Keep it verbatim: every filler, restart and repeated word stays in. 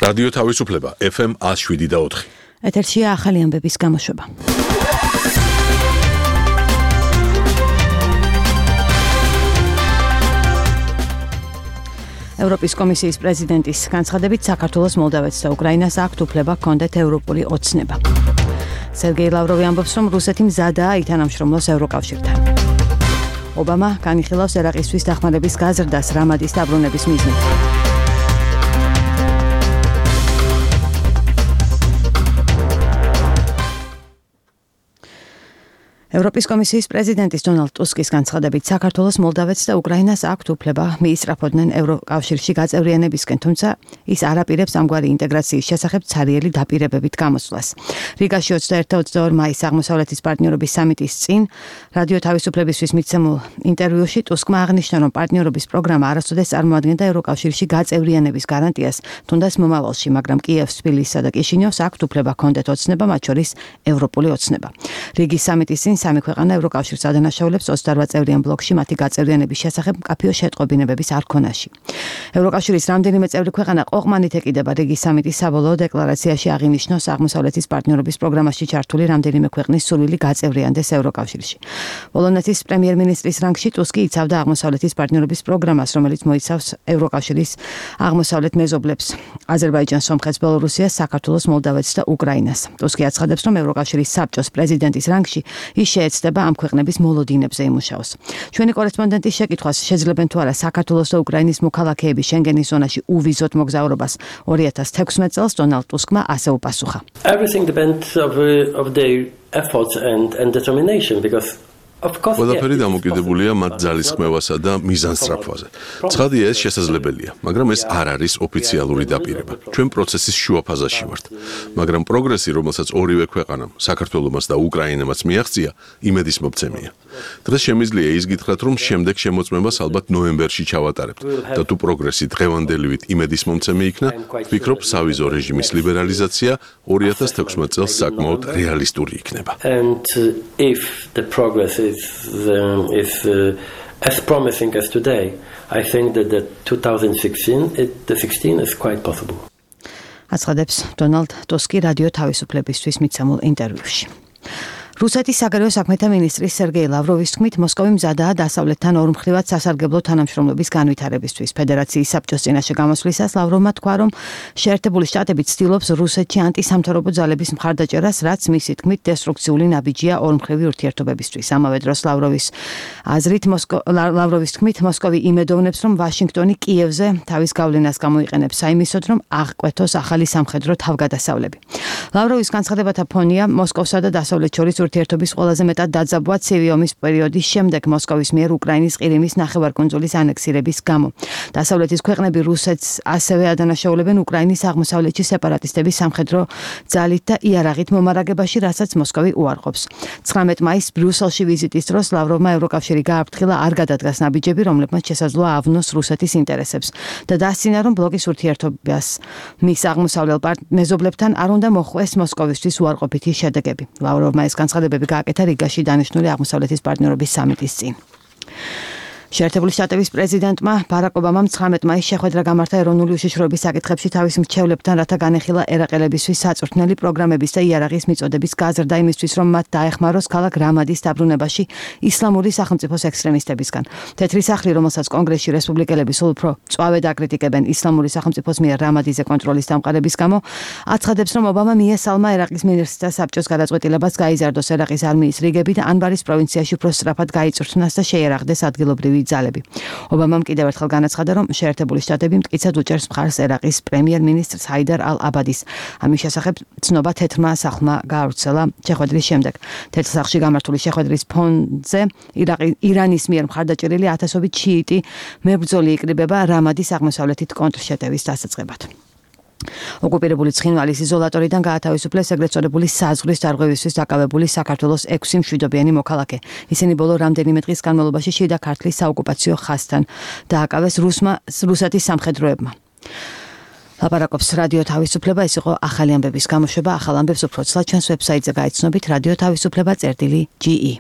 რადიო თავისუფლება ეფ ემ ათს შვიდი და ოთხი. ეთერშია ახალი ამბების გამოშვება. ევროპის კომისიის პრეზიდენტის განცხადებით საქართველოს, მოლდავეთს და უკრაინას აქვთ უფლება ჰქონდეთ ევროპული ოცნება. სერგეი ლავროვი ამბობს, რომ რუსეთი მზადაა ითანამშრომლოს ევროკავშირთან. ობამა განიხილავს ერაყისთვის დახმარების გაზრდას რამადის დაბრუნების მიზნით. ევროპის კომისიის პრეზიდენტის დონალდ ტუსკის განცხადებით საქართველოს, მოლდავეთს და უკრაინას აქვთ უფლება მიისწრაფოდნენ ევროკავშირში გაწევრიანებისკენ, თუმცა ის არ აპირებს ამგვარი ინტეგრაციის შესახებ ცარიელი დაპირებებით გამოსვლას. რიგაში ოცდაერთი და ოცდაორი მაისს აღმოსავლეთის პარტნიორობის სამიტის წინ რადიო თავისუფლებისთვის მიცემულ ინტერვიუში ტუსკმა აღნიშნა, რომ პარტნიორობის პროგრამა არასოდეს წარმოადგენდა ევროკავშირში გაწევრიანების გარანტიას, თუნდაც მომავალში, მაგრამ კიევს, თბილისსა და კიშინიოვს აქვთ უფლება ჰქონდეთ ოცნება, მათ შორის ევროპული ოცნება. რიგის სამიტის წინ სამი ქვეყანა ევროკავშირს ადანაშაულებს ოცდაორ წევრიან ბლოკში მათი გაწევრიანების შესახებ მკაფიო შეტყობინებების არქონაში. ევროკავშირის რამდენიმე წევრი ქვეყანა ყოყმანით ეკიდება რიგის სამიტის საბოლოო დეკლარაციაში აღინიშნოს აღმოსავლეთის პარტნიორობის პროგრამაში ჩართული რამდენიმე ქვეყნის სურვილი გაწევრიანდეს ევროკავშირში. პოლონეთის პრემიერ-მინისტრის რანგში ტუსკი იცავდა აღმოსავლეთის პარტნიორობის პროგრამას, რომელიც მოიცავს ევროკავშირის აღმოსავლეთ მეზობლებს: აზერბაიჯანს, სომხეთს, ბელორუსიას, საქართველოს, მოლდავეთს და უკრაინას. ტუსკი აცხადებს, რომ ევროკავშირის საბჭოს პრეზიდენტის რანგში ის შეეცდება ამ ქვეყნების მოლოდინებზე იმუშაოს. ჩვენი კორესპონდენტის შეკითხვას, შეძლებენ თუ არა საქართველოს და უკრაინის მოქალაქეები შენგენის ზონაში უვიზოთ მოგზაურობას ორი ათას თექვსმეტ წელს, დონალდ ტუსკმა ასე უპასუხა. Everything depends of, of their efforts and, and determination, because ყველაფერი დამოკიდებულია მათ ძალისხმევასა და მიზანსწრაფვაზე. ცხადია, ეს შესაძლებელია, მაგრამ ეს არ არის ოფიციალური დაპირება. ჩვენ პროცესის შუა ფაზაში ვართ, მაგრამ პროგრესი, რომელსაც ორივე ქვეყანამ, საქართველომაც და უკრაინამაც მიაღწია, იმედის მომცემია. დღეს შემიძლია ის გითხრათ, რომ შემდეგ შემოწმებას ალბათ ნოემბერში ჩავატარებთ და თუ პროგრესი დღევანდელივით იმედის მომცემი იქნა, ვფიქრობ, სავიზო რეჟიმის ლიბერალიზაცია ორი ათას თექვსმეტ წელს საკმაოდ რეალისტური იქნება. And uh, if the progress is, um, is uh, as promising as today, I think that the twenty sixteen, it, the sixteen is quite possible. აცხადებს დონალდ ტუსკი რადიო თავისუფლებისთვის მიცემულ ინტერვიუში. რუსეთის საგარეო საქმეთა მინისტრის სერგეი ლავროვის თქმით, მოსკოვი მზადაა დასავლეთთან ორმხრივად სასარგებლო თანამშრომლობის განვითარებისთვის. ფედერაციის საბჭოს წინაშე გამოსვლისას ლავროვმა თქვა, რომ შეერთებული შტატები ცდილობს რუსეთში ანტისამთავრობო ძალების მხარდაჭერას, რაც მისი თქმით დესტრუქციული ნაბიჯია ორმხრივი ურთიერთობებისთვის. ამავე დროს ლავროვის აზრით, ლავროვის თქმით, მოსკოვი იმედოვნებს, რომ ვაშინგტონი კიევზე თავის გავლენას გამოიყენებს საიმისოდ, რომ აღკვეთოს ახალი სამხედრო თავგადასავლები. ლავროვის განცხადებათა ფონია მოსკოვსა და დასავლეთ შორის ურთიერთობის ყველაზე მეტად დაძაბვა ცივი ომის პერიოდის შემდეგ მოსკოვის მიერ უკრაინის ყირიმის ნახევარკუნძულის ანექსირების გამო. დასავლეთის ქვეყნები რუსეთს ასევე ადანაშაულებენ უკრაინის აღმოსავლეთში სეპარატისტების სამხედრო ძალით და იარაღით მომარაგებაში, რასაც მოსკოვი უარყოფს. ცხრამეტ მაისს ბრიუსელში ვიზიტის დროს ლავროვმა ევროკავშირი გააფრთხილა არ გადადგას ნაბიჯები, რომლებმაც შესაძლოა ავნოს რუსეთის ინტერესებს და დასცინა, რომ ბლოკის ურთიერთობას მის აღმოსავლელ მეზობლებთან არ უნდა მოხვეს მოსკოვისთვის უარყოფითი შედეგები. ლავროვმა ეს განცხადებები გააკეთა რიგაში დანიშნული აღმოსავლეთის პარტნიორობის სამიტის წინ. შეერთებული შტატების პრეზიდენტმა ბარაკ ობამამ ცხრამეტ მაისს შეხვედრა გამართა ეროვნული უშიშროების საკითხებში თავის მრჩევლებთან, რათა განეხილა ერაყელებისთვის საწვრთნელი პროგრამების და იარაღის მიწოდების გაზრდა იმისთვის, რომ მათ დაეხმაროს ქალაქ რამადის დაბრუნებაში ისლამური სახელმწიფოს ექსტრემისტებისგან. თეთრი სახლი, რომელსაც კონგრესში რესპუბლიკელები სულ უფრო წვავედ აკრიტიკებენ ისლამური სახელმწიფოს მიერ რამადიზე კონტროლის დამყარების გამო, აცხადებს, რომ ობამა მიესალმა ერაყის მინისტრთა საბჭოს გადაწყვეტილებას გაიზარდოს ერაყის არმიის რიგები და ანბარის პროვინციაში უფრო სწრაფად გაიწვრთნას და შეერაღდეს ადგილობრივი ძალები. ობამამ კიდევ ერთხელ განაცხადა, რომ შეერთებული შტატები მტკიცად უჭერს მხარს ერაყის პრემიერ-მინისტრს ჰაიდარ ალ-აბადის. ამის შესახებ ცნობა თეთრმა სახლმა გაავრცელა შეხვედრის შემდეგ. თეთრ სახლში გამართული შეხვედრის ფონზე ირანის მიერ მხარდაჭერილი ათასობით შიიტი მებრძოლი იკრიბება რამადის აღმოსავლეთით კონტრშეტევის დასაწყებად. ოკუპირებული ცხინვალის იზოლატორიდან გაათავისუფლეს ეგრეთ წოდებული საზღვრის დარღვევისთვის დაკავებული საქართველოს ექვსი მშვიდობიანი მოქალაქე. ისინი ბოლო რამდენიმე დღის განმავლობაში შიდა ქართლის საოკუპაციო ხაზთან დააკავეს რუსმა რუსეთის სამხედროებმა. ლაპარაკობს რადიო თავისუფლება, ეს იყო ახალი ამბების გამოშვება. ახალ ამბებს უფრო ცლად ჩვენს ვებსაიტზე გაიცნობით რადიო თავისუფლება წერტილი ჯი ი.